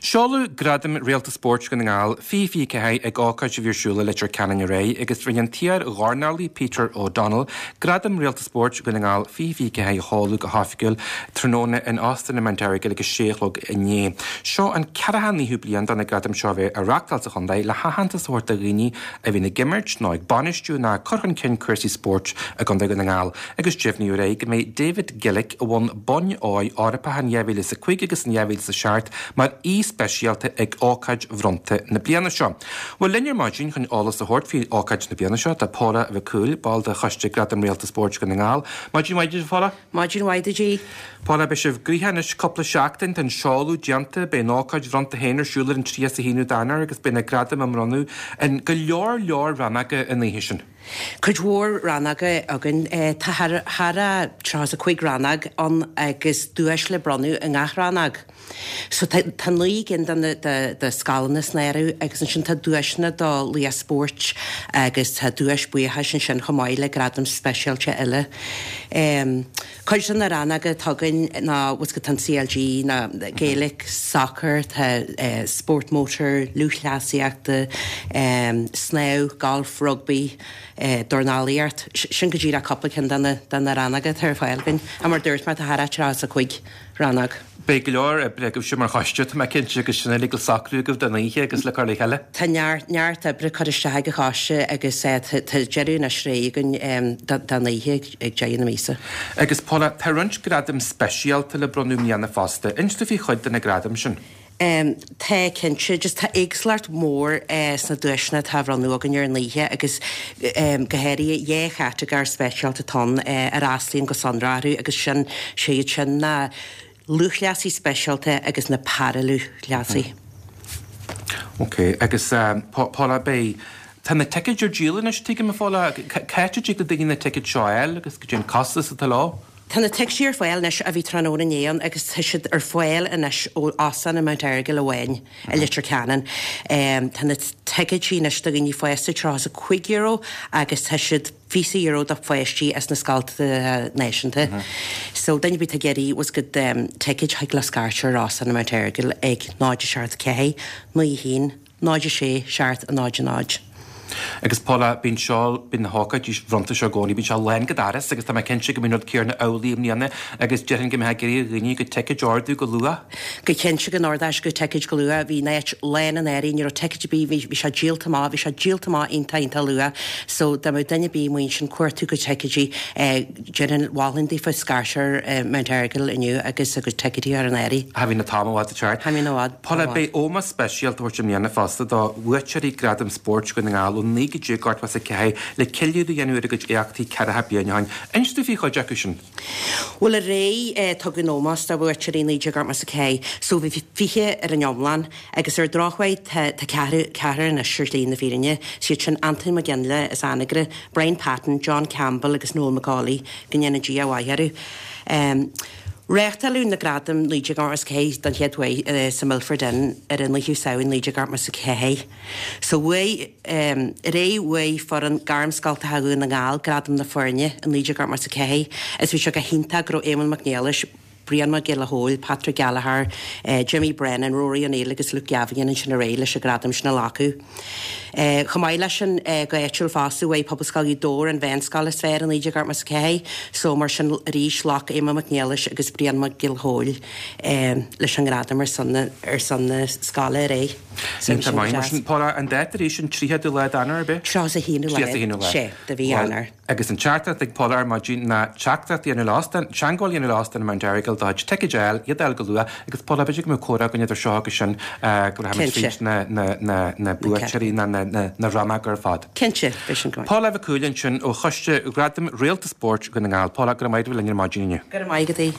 Seoladh Gradaim Réalta Spóirt Dhún na nGall 2024 ag ócáid a bhí ar siúl i Leitir Ceanainn aréir agus rinne an t-iar-dhornálaí Peter O'Donnell Gradam Réalta Spóirt Dhún na nGall 2024 a sheoladh go hoifigiúil tráthnóna in Óstán an Mount Errigal ag a sé a chlog inné. Seo an 49ú bliain do na gradaim seo a bheith á reáchtáil sa chontae le haitheantas a thabhairt do dhaoine a bhíonn ag imirt nó ag bainistiú nó ag cur chun cinn cúrsaí spóirt i gContae Dhún na nGall agus deimhníodh aréir go mbeidh David Gillick, a bhain boinn óir Eorpacha in 2005 agus in 2007 mar aoi speisialta ag ócáid bhronnta na bliana seo. Bhuel, linn ar maidin chun eolas a thabhairt faoi ócáid na bliana seo tá Paula Mhic Cumhaill, ball de Choiste Gradam Réalta Spóirt Dhún na nGall. Maidin mhaith duit, a Phaula. Maidin mhaith duit, a. Paula, beidh sibh gnoitheach anois cúpla seachtain, tá an seoladh déanta, beidh an ócáid bhronnta féin ar siúl ar an 31ú d'Eanáir agus beidh na gradaim á mbronnadh in go leor leor rannóga an oíche sin. Cuid mhór rannóga againn. Tá thar a 35 rannóg ann agus duais le bronnadh i ngach rannóg. So tá 9 gcinn de na de scoileanna san áireamh agus ansin tá duaiseanna do laoch spóirt agus tá duais buíochais ansin chomh maith le gradaim speisialta eile. Cuid de na rannóga atá againn ná bhfuil tá an CLG, ná Gaelic, Soccer, tá spórt mótair, lúthchleasaíochta, snámh, golf, rugbaí, dornálaíocht. Sin go díreach cúpla ceann de na rannóga atá ar fáil againn. Mar a dúirt mé, tá thar a 35 rannóg. Beidh go leor oibre agaibhse mar choiste, tá mé cinnte, agus sin uilig le socrú agaibh don oíche agus le cur le chéile. Tá neart, neart oibre curtha isteach ag an choiste agus tá deireadh anois réidh againn don oíche ag deireadh na míosa. Agus Paula, tá roinnt gradaim speisialta le bronnadh i mbliana fosta. Inis dúinn faoi chuid de na gradaim sin. Tá, cinnte. Just tá éagsúlacht mhór sna duaiseanna atá á bhronnadh againn ar an oíche agus go háirithe dhá chatagóir speisialta atá ann a fhreastlaíonn go sonrach orthu agus sin, sé iad sin ná lúthchleasaí speisialta agus na paralúthchleasaí. Ok, agus Paula, beidh, tá na ticéid ar díol anois, tuigim, a Phaula, cá háit a dtig le daoine na ticéid seo a fháil agus cad é an costas atá leo? Tá na ticéidí ar fáil anois a bhí tráthnóna inné ann agus tá siad ar fáil anois ó Óstán an Mount Errigal amháin i Leitir Ceanainn. Tá na ticéidí anois do dhaoine fásta €35 agus tá siad €20 do pháistí as na scoltacha náisiúnta. So duine ar bith atá ag iarraidh bhfuil a fhios agat ticéid thig leo scairteadh ar Óstán an Mount Errigal ag 0 7 4 9 1 0 6 7 0 0. Agus Paula, bíonn seo, bíonn na hócáidí bhronnta seo i gcónaí, bíonn sé lán go doras agus tá mé cinnte go mbíonn an rud céanna amhlaidh i mbliana agus déarfainn go mbeifeá ag iarraidh ar dhaoine a gcuid ticéid a ordú go luath. Go cinnte go n-ordóidh siad a gcuid ticéid go luath. Bhí an áit lán anuraidh, ní raibh ticéid ar bith, bhí, bhí sé díolta amach, bhí sé díolta amach iontach, iontach luath. So dá mbeadh duine ar bith amuigh ansin ag cuartú a gcuid ticéidí, eh, Déarfainn, mholfainn daofa scairteadh ar Mount Errigal inniu agus a gcuid ticéidí a chur in áirithe. Cha bhíonn an t-am i bhfad ag teacht. Cha bhíonn i bhfad. Paula, beidh ómós speisialta á thabhairt i mbliana fosta do bhuaiteoirí Gradam Spóirt Dhún na nGall ó 1984 le ceiliúradh a dhéanamh ar a gcuid éachtaí ceathracha bliain ó shin. Inis dúinn faoi chuid acu sin. Bhuel, aréir tugadh an ómós do bhuaiteoirí 1984 so bhí 20 ar an iomlán. Agus ar drochuair tá ceathrar, ceathrar anois ar shlí na fírinne, siad sin Antoin Mac Fhionnghaile as Anagaire, Brian Patton, John Campbell agus Noel McCauley, go ndéana Dia a mhaith orthu. Reáchtáladh na Gradaim 1984 don chéad uair sa Milford Inn ar an 9ú Samhain 1984. So bhuaigh, aréir bhuaigh foireann Gairmscoltacha Dhún na nGall Gradam na Foirne i 1984 is bhí sé go hiontach go raibh Éamonn Mac Niallais, Brian Mac Giolla Chóill, Patrick Gallagher, Jimmy Brennan, Rory O'Neill agus Luke Gavin ansin aréir leis an gradam sin a ghlacadh. Chomh maith leis sin, go háitiúil fosta, bhuaigh Pobalscoil Ghaoth Dobhair an mheánscoil is fearr i 1984 so mar sin arís ghlac Éamonn Mac Niallais agus Brian Mac Giolla Chóill leis an ngradam ar son na ar son na scoile aréir. So bhí sin go deas. Paula, an dáta arís an 30ú lá d'Eanáir, ab ea? 31ú lá. Sea, de mhí Eanáir. Agus an teachtaireacht ag Paula ar maidin ná teachtaireacht a dhéanamh le óstán, teagmháil a dhéanamh le óstán Mount Errigal do chuid ticéid a fháil, iad a fháil go luath, agus Paula, b'fhéidir go mbeadh comhrá againn idir seo agus sin go rachaimid tríd na, na, na, na buaiteoirí na, na, na, na rannóga ar fad. Cinnte, beidh sin go maith. Paula Mhic Cumhaill ansin ó Choiste Ghradaim Réalta Spóirt Dhún na nGall. Paula, go raibh maith agat a bheith linn ar maidin inniu. Go raibh maith agat.